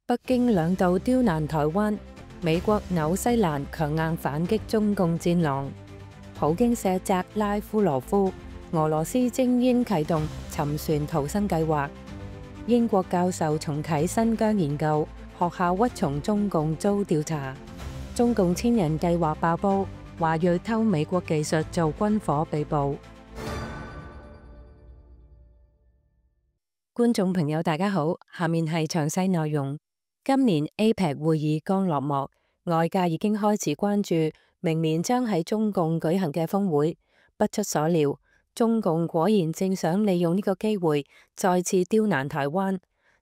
北京兩度刁難台灣，美國、紐西蘭強硬反擊中共戰狼。普京卸責拉夫羅夫，俄羅斯精英啟動沉船逃生計劃。英國教授重啟新疆研究，學校屈從中共遭調查。中共千人計劃爆煲，華裔偷美國技術做軍火被捕。觀眾朋友大家好，下面係詳細內容。今年 APEC 會議剛落幕，外界已經開始關注明年將喺中共舉行嘅峰會。不出所料，中共果然正想利用呢個機會再次刁難台灣。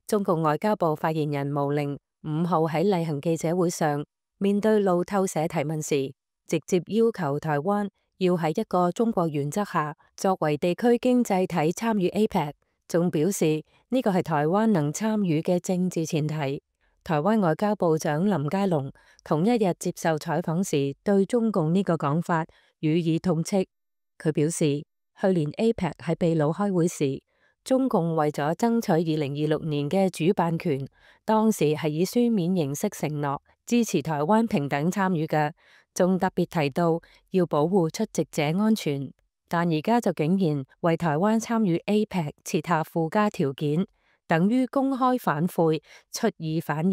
中共外交部發言人毛寧5號喺例行記者會上，面對路透社提問時，直接要求台灣要喺一個中國原則下，作為地區經濟體參與 APEC， 仲表示呢個係台灣能參與嘅政治前提。台灣外交部長林佳龍同一日接受採訪時，對中共呢個講法予以痛斥。佢表示，去年 APEC 喺秘魯開會時，中共為咗爭取2026年嘅主辦權，當時係以書面形式承諾支持台灣平等參與嘅，仲特別提到要保護出席者安全。但而家就竟然為台灣參與 APEC 設下附加條件，等於公開反悔、出爾反爾。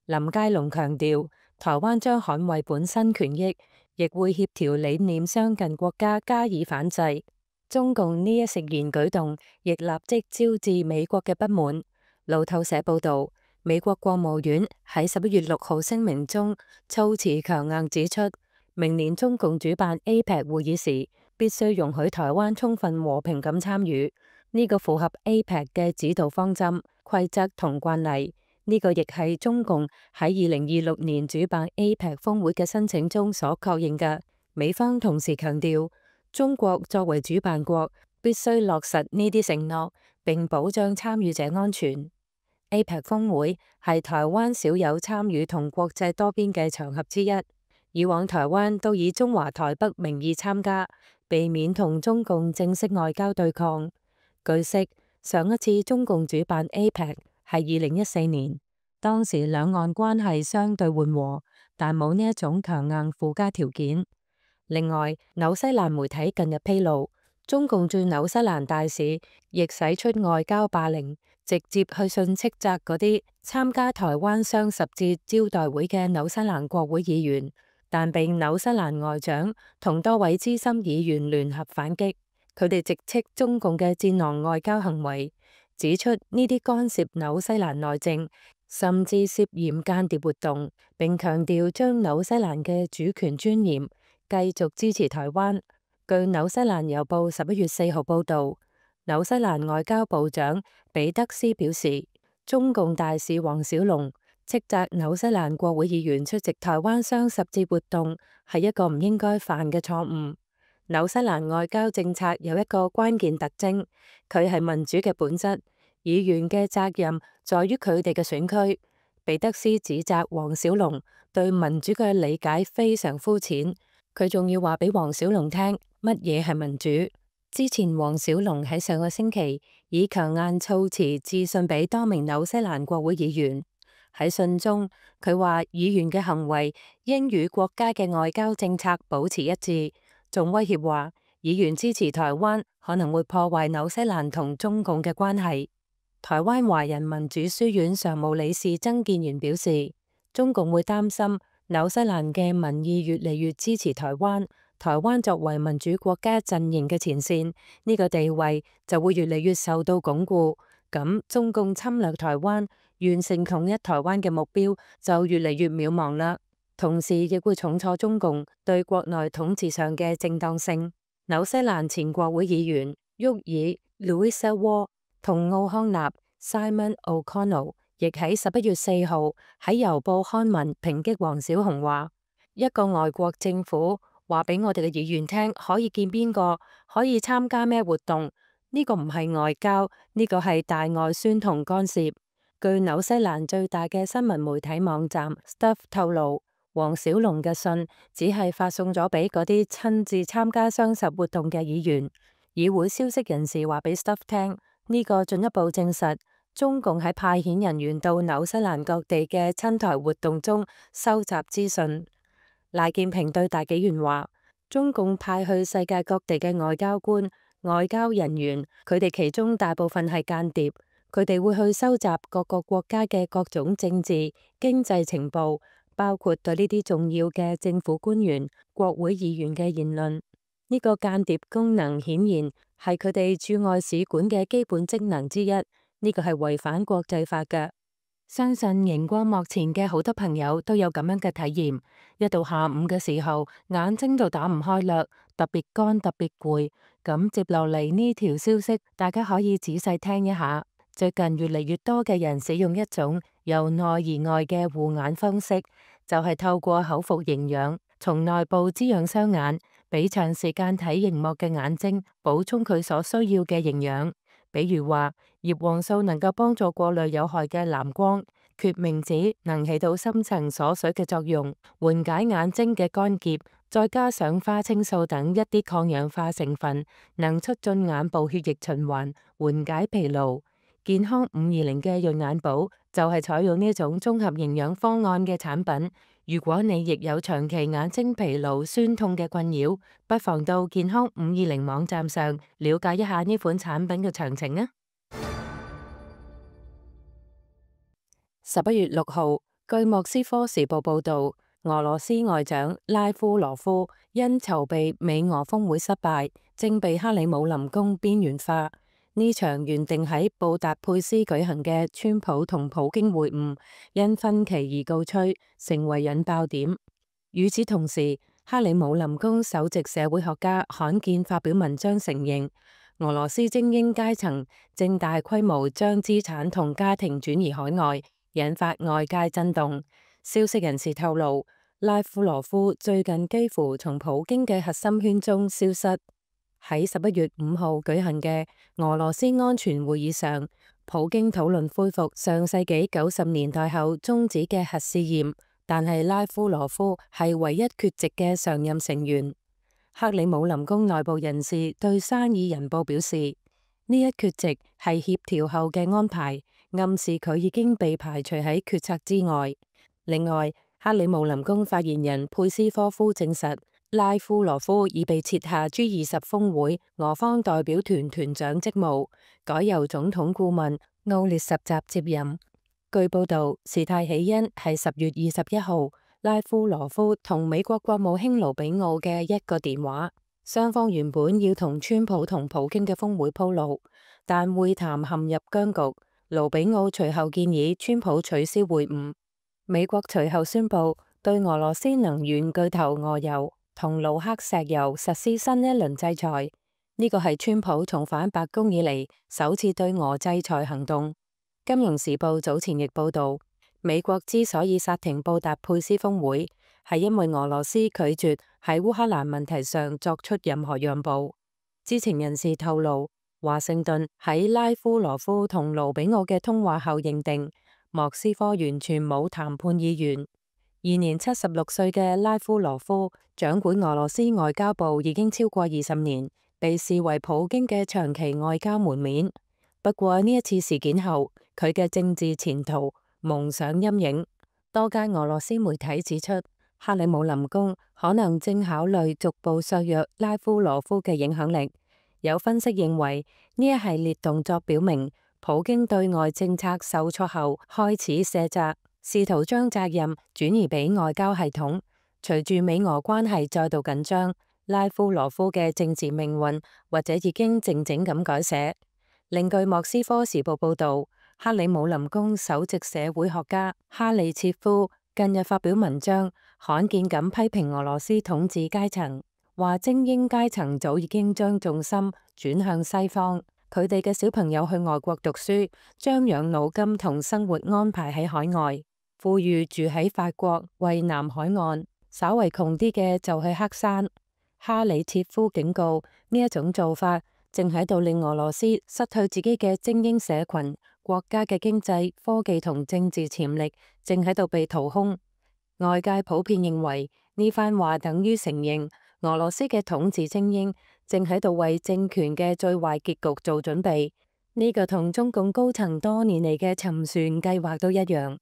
林佳龍強調，台灣將捍衛本身權益，亦會協調理念相近國家加以反制。中共呢一食言舉動，亦立即招致美國嘅不滿。路透社報導，美國國務院喺11月6號聲明中措辭強硬指出，明年中共主辦 APEC 會議時，必須容許台灣充分和平咁參與。呢個符合 APEC 嘅指導方針、規則同慣例。呢個亦係中共喺2026年主辦 APEC 峰會嘅申請中所確認嘅。美方同時強調，中國作為主辦國，必須落實呢啲承諾，並保障參與者安全。APEC 峰會係台灣少有參與同國際多邊嘅場合之一。以往台灣都以中華台北名義參加，避免同中共正式外交對抗。據悉，上一次中共主辦 APEC 係2014年，當時兩岸關係相對緩和，但冇呢一種強硬附加條件。另外，紐西蘭媒體近日披露，中共駐紐西蘭大使亦使出外交霸凌，直接去信斥責嗰啲參加台灣雙十節招待會嘅紐西蘭國會議員，但被紐西蘭外長同多位資深議員聯合反擊。佢哋直斥中共嘅戰狼外交行為，指出呢啲干涉紐西蘭內政，甚至涉嫌間諜活動，並強調將紐西蘭嘅主權尊嚴，繼續支持台灣。據紐西蘭郵報11月4號報導，紐西蘭外交部長彼得斯表示，中共大使黃小龍斥責紐西蘭國會議員出席台灣雙十節活動係一個唔應該犯嘅錯誤。紐西蘭外交政策有一個關鍵特徵，佢係民主嘅本質，議員嘅責任在於佢哋嘅選區。彼得斯指責黃小龍對民主嘅理解非常膚淺，佢仲要話俾黃小龍聽乜嘢係民主。之前黃小龍喺上個星期以強硬措辭致信俾多名紐西蘭國會議員，喺信中佢話議員嘅行為應與國家嘅外交政策保持一致。仲威脅話，議員支持台灣可能會破壞紐西蘭同中共嘅關係。台灣華人民主書院常務理事曾建元表示，中共會擔心紐西蘭嘅民意越嚟越支持台灣，台灣作為民主國家陣營嘅前線，呢個地位就會越嚟越受到鞏固。咁中共侵略台灣、完成統一台灣嘅目標就越嚟越渺茫啦。同時亦會重挫中共對國內統治上嘅正當性。紐西蘭前國會議員沃爾 Louisa Ward 同奧康納 Simon O'Connell 亦喺11月4號喺郵報刊文抨擊黃小龍話：一個外國政府話俾我哋嘅議員聽可以見邊個，可以參加咩活動，呢個唔係外交，呢個係大外宣同干涉。據紐西蘭最大嘅新聞媒體網站 Stuff 透露，黃小龍嘅信只係發送咗俾嗰啲親自參加雙十活動嘅議員。議會消息人士話俾 Stuff 聽，呢個進一步證實中共喺派遣人員到紐西蘭各地嘅親台活動中收集資訊。賴建平對大紀元話：中共派去世界各地嘅外交官、外交人員，佢哋其中大部分係間諜，佢哋會去收集各個國家嘅各種政治、經濟情報，包括對呢啲重要嘅政府官員、國會議員嘅言論。呢個間諜功能顯然係佢哋駐外使館嘅基本職能之一。呢個係違反國際法嘅。相信熒光幕前嘅好多朋友都有咁樣嘅體驗。一到下午嘅時候，眼睛就打唔開啦，特別乾，特別攰。咁接落嚟呢條消息，大家可以仔細聽一下。最近越嚟越多嘅人使用一種由內而外嘅護眼方式，就係透過口服營養，從內部滋養雙眼，俾長時間睇熒幕嘅眼睛補充佢所需要嘅營養。比如話，葉黃素能夠幫助過濾有害嘅藍光，決明子能起到深層鎖水嘅作用，緩解眼睛嘅乾澀，再加上花青素等一啲抗氧化成分，能促進眼部血液循環，緩解疲勞。健康520嘅潤眼寶就係採用呢種綜合營養方案嘅產品。如果你亦有長期眼睛疲勞、酸痛嘅困擾，不妨到健康520網站上了解一下呢款產品嘅詳情啊。11月6號，據莫斯科時報報導，俄羅斯外長拉夫羅夫因籌備美俄峰會失敗，正被克里姆林宮邊緣化。呢場原定喺布達佩斯舉行嘅川普同普京會晤，因分歧而告吹，成為引爆點。與此同時，克里姆林宮首席社會學家罕見發表文章承認，俄羅斯精英階層正大規模將資產同家庭轉移海外，引發外界震動。消息人士透露，拉夫羅夫最近幾乎從普京嘅核心圈中消失。喺11月5號舉行嘅俄羅斯安全會議上，普京討論恢復上世紀90年代後終止嘅核試驗，但係拉夫羅夫係唯一缺席嘅常任成員。克里姆林宮內部人士對生意人報表示，呢一缺席係協調後嘅安排，暗示佢已經被排除喺決策之外。另外，克里姆林宮發言人佩斯科夫證實，拉夫羅夫已被撤下 G20 峰會俄方代表團團長職務，改由總統顧問奧列什澤接任。據報道，事態起因係10月21號，拉夫羅夫同美國國務卿盧比奧嘅一個電話，雙方原本要同川普同普京嘅峰會鋪路，但會談陷入僵局。盧比奧隨後建議川普取消會晤。美國隨後宣布對俄羅斯能源巨頭俄油同盧克石油實施新一輪制裁，呢個係川普重返白宮以嚟首次對俄制裁行動。金融時報早前亦報道，美國之所以剎停布達佩斯峰會，係因為俄羅斯拒絕喺烏克蘭問題上作出任何讓步。知情人士透露，華盛頓喺拉夫羅夫同盧比奧嘅通話後認定，莫斯科完全冇談判意願。現年76歲嘅拉夫羅夫掌管俄羅斯外交部已經超過20年，被視為普京嘅長期外交門面。不過呢一次事件後，佢嘅政治前途蒙上陰影。多間俄羅斯媒體指出，克里姆林宮可能正考慮逐步削弱拉夫羅夫嘅影響力。有分析認為，呢一系列動作表明，普京對外政策受挫後開始卸責，試圖將責任轉移俾外交系統。隨住美俄關係再度緊張，拉夫羅夫嘅政治命運或者已經靜靜咁改寫。另據莫斯科時報報道，克里姆林宮首席社會學家哈利切夫近日發表文章，罕見咁批評俄羅斯統治階層，話精英階層早已經將重心轉向西方，佢哋嘅小朋友去外國讀書，將養老金同生活安排喺海外，富裕住喺法國蔚藍海岸，稍為窮啲嘅就去黑山。哈里切夫警告，呢一種做法正喺度令俄羅斯失去自己嘅精英社群，國家嘅經濟、科技同政治潛力正喺度被掏空。外界普遍認為呢番話等於承認俄羅斯嘅統治精英正喺度為政權嘅最壞結局做準備。呢個同中共高層多年嚟嘅沉船計劃都一樣。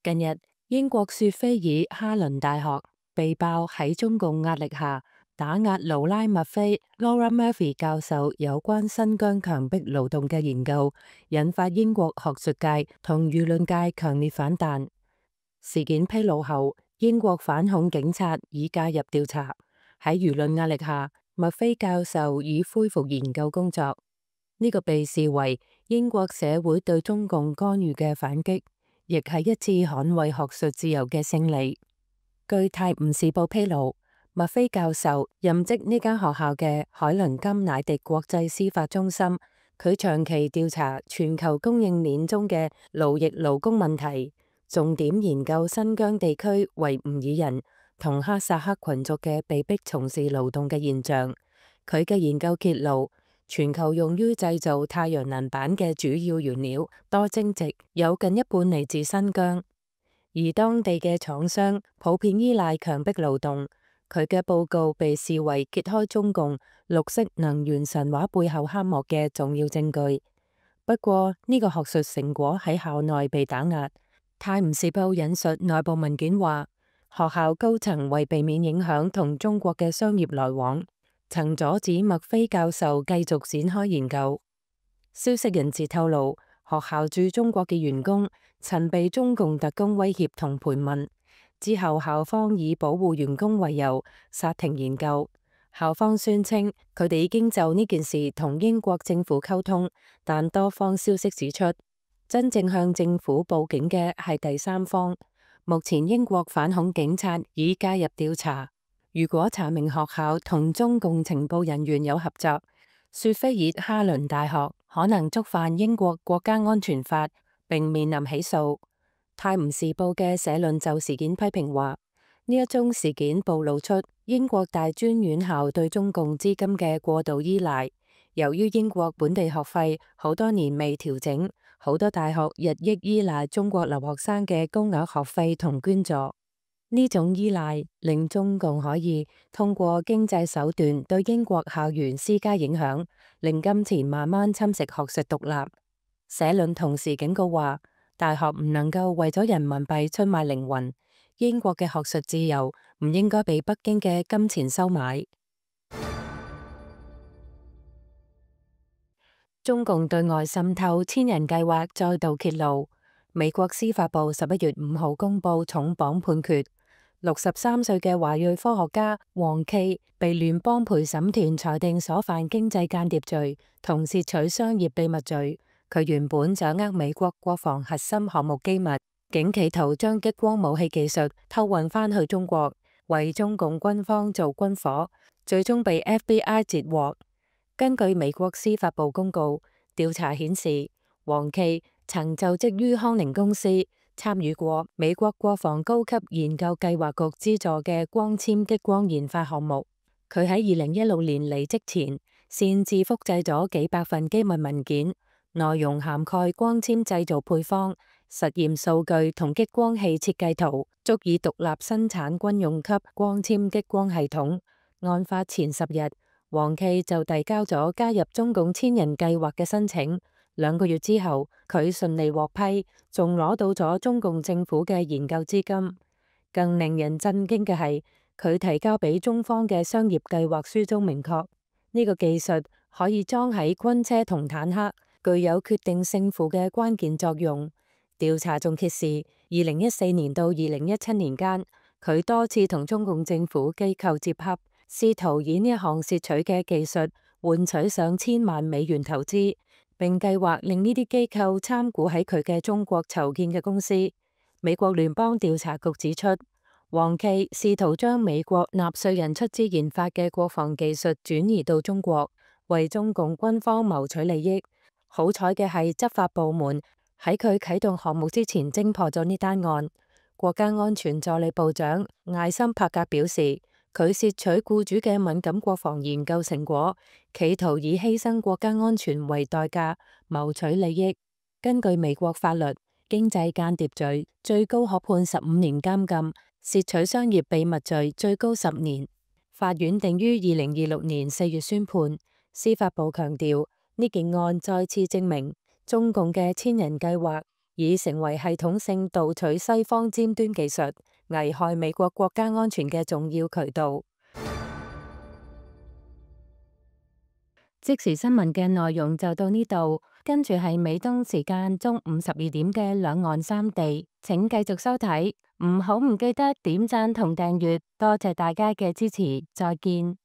近日，英國雪菲爾哈倫大學被爆喺中共壓力下打壓勞拉麥菲 （Laura Murphy） 教授有關新疆強迫勞動嘅研究，引發英國學術界同輿論界強烈反彈。事件披露後，英國反恐警察已介入調查。喺輿論壓力下，麥菲教授已恢復研究工作。呢個被視為英國社會對中共干預嘅反擊，亦係一次捍衛學術自由嘅勝利。據《泰晤士報》披露，麥菲教授任職呢間學校嘅海倫金乃迪國際司法中心，佢長期調查全球供應鏈中嘅勞役勞工問題，重點研究新疆地區維吾爾人同哈薩克群族嘅被迫從事勞動嘅現象。佢嘅研究揭露，全球用於製造太陽能板嘅主要原料多晶矽有近一半嚟自新疆，而當地嘅廠商普遍依賴強迫勞動。佢嘅報告被視為揭開中共綠色能源神話背後黑幕嘅重要證據。不過呢個學術成果喺校內被打壓。泰晤士報引述內部文件話，學校高層為避免影響同中國嘅商業來往，曾阻止麥菲教授繼續展開研究。消息人士透露，學校駐中國嘅員工曾被中共特工威脅同盤問，之後校方以保護員工為由剎停研究。校方宣稱佢哋已經就呢件事同英國政府溝通，但多方消息指出，真正向政府報警嘅係第三方。目前英國反恐警察已介入調查。如果查明學校同中共情報人員有合作，雪菲爾哈倫大學可能觸犯英國國家安全法並面臨起訴。泰晤士報嘅社論就事件批評話，呢一宗事件暴露出英國大專院校對中共資金嘅過度依賴。由於英國本地學費好多年未調整，好多大學日益依賴中國留學生嘅高額學費同捐助。呢種依賴令中共可以通過經濟手段對英國校園施加影響，令金錢慢慢侵蝕學術獨立。社論同時警告話，大學唔能夠為咗人民幣出賣靈魂，英國嘅學術自由唔應該被北京嘅金錢收買。中共對外滲透千人計劃再度揭露，美國司法部11月5號公布重磅判決。63歲嘅華裔科學家黃驥被聯邦陪審團裁定所犯經濟間諜罪同竊取商業秘密罪。佢原本掌握美國國防核心項目機密，竟企圖將激光武器技術偷運返去中國，為中共軍方做軍火，最終被 FBI 截獲。根據美國司法部公告，調查顯示黃驥曾就職於康寧公司，參與過美國國防高級研究計劃局資助嘅光纖激光研發項目。佢喺2016年離職前，擅自複製咗幾百份機密文件，內容涵蓋光纖製造配方、實驗數據同激光器設計圖，足以獨立生產軍用級光纖激光系統。案發前10日，黃驥就遞交咗加入中共千人計劃嘅申請。2個月之後，佢順利獲批，仲攞到咗中共政府嘅研究資金。更令人震驚嘅係，佢提交俾中方嘅商業計劃書中明確，呢個技術可以裝喺軍車同坦克，具有決定勝負嘅關鍵作用。調查仲揭示，2014年到2017年間，佢多次同中共政府機構接洽，試圖以呢一項竊取嘅技術換取上千萬美元投資，並計劃令呢啲機構參股喺佢嘅中國籌建嘅公司。美國聯邦調查局指出，黃驥試圖將美國納稅人出資研發嘅國防技術轉移到中國，為中共軍方謀取利益。好彩嘅係，執法部門喺佢啟動項目之前偵破咗呢單案。國家安全助理部長艾森柏格表示，佢竊取僱主嘅敏感國防研究成果，企圖以犧牲國家安全為代價謀取利益。根據美國法律，經濟間諜罪最高可判15年監禁，竊取商業秘密罪最高10年。法院定於2026年4月宣判。司法部強調，呢件案再次證明中共嘅千人計劃已成為系統性盜取西方尖端技術、危害美國國家安全嘅重要渠道。即時新聞嘅內容就到呢度，跟住係美東時間中午12點嘅兩岸三地，請繼續收睇，唔記得點讚同訂閱，多謝大家嘅支持，再見。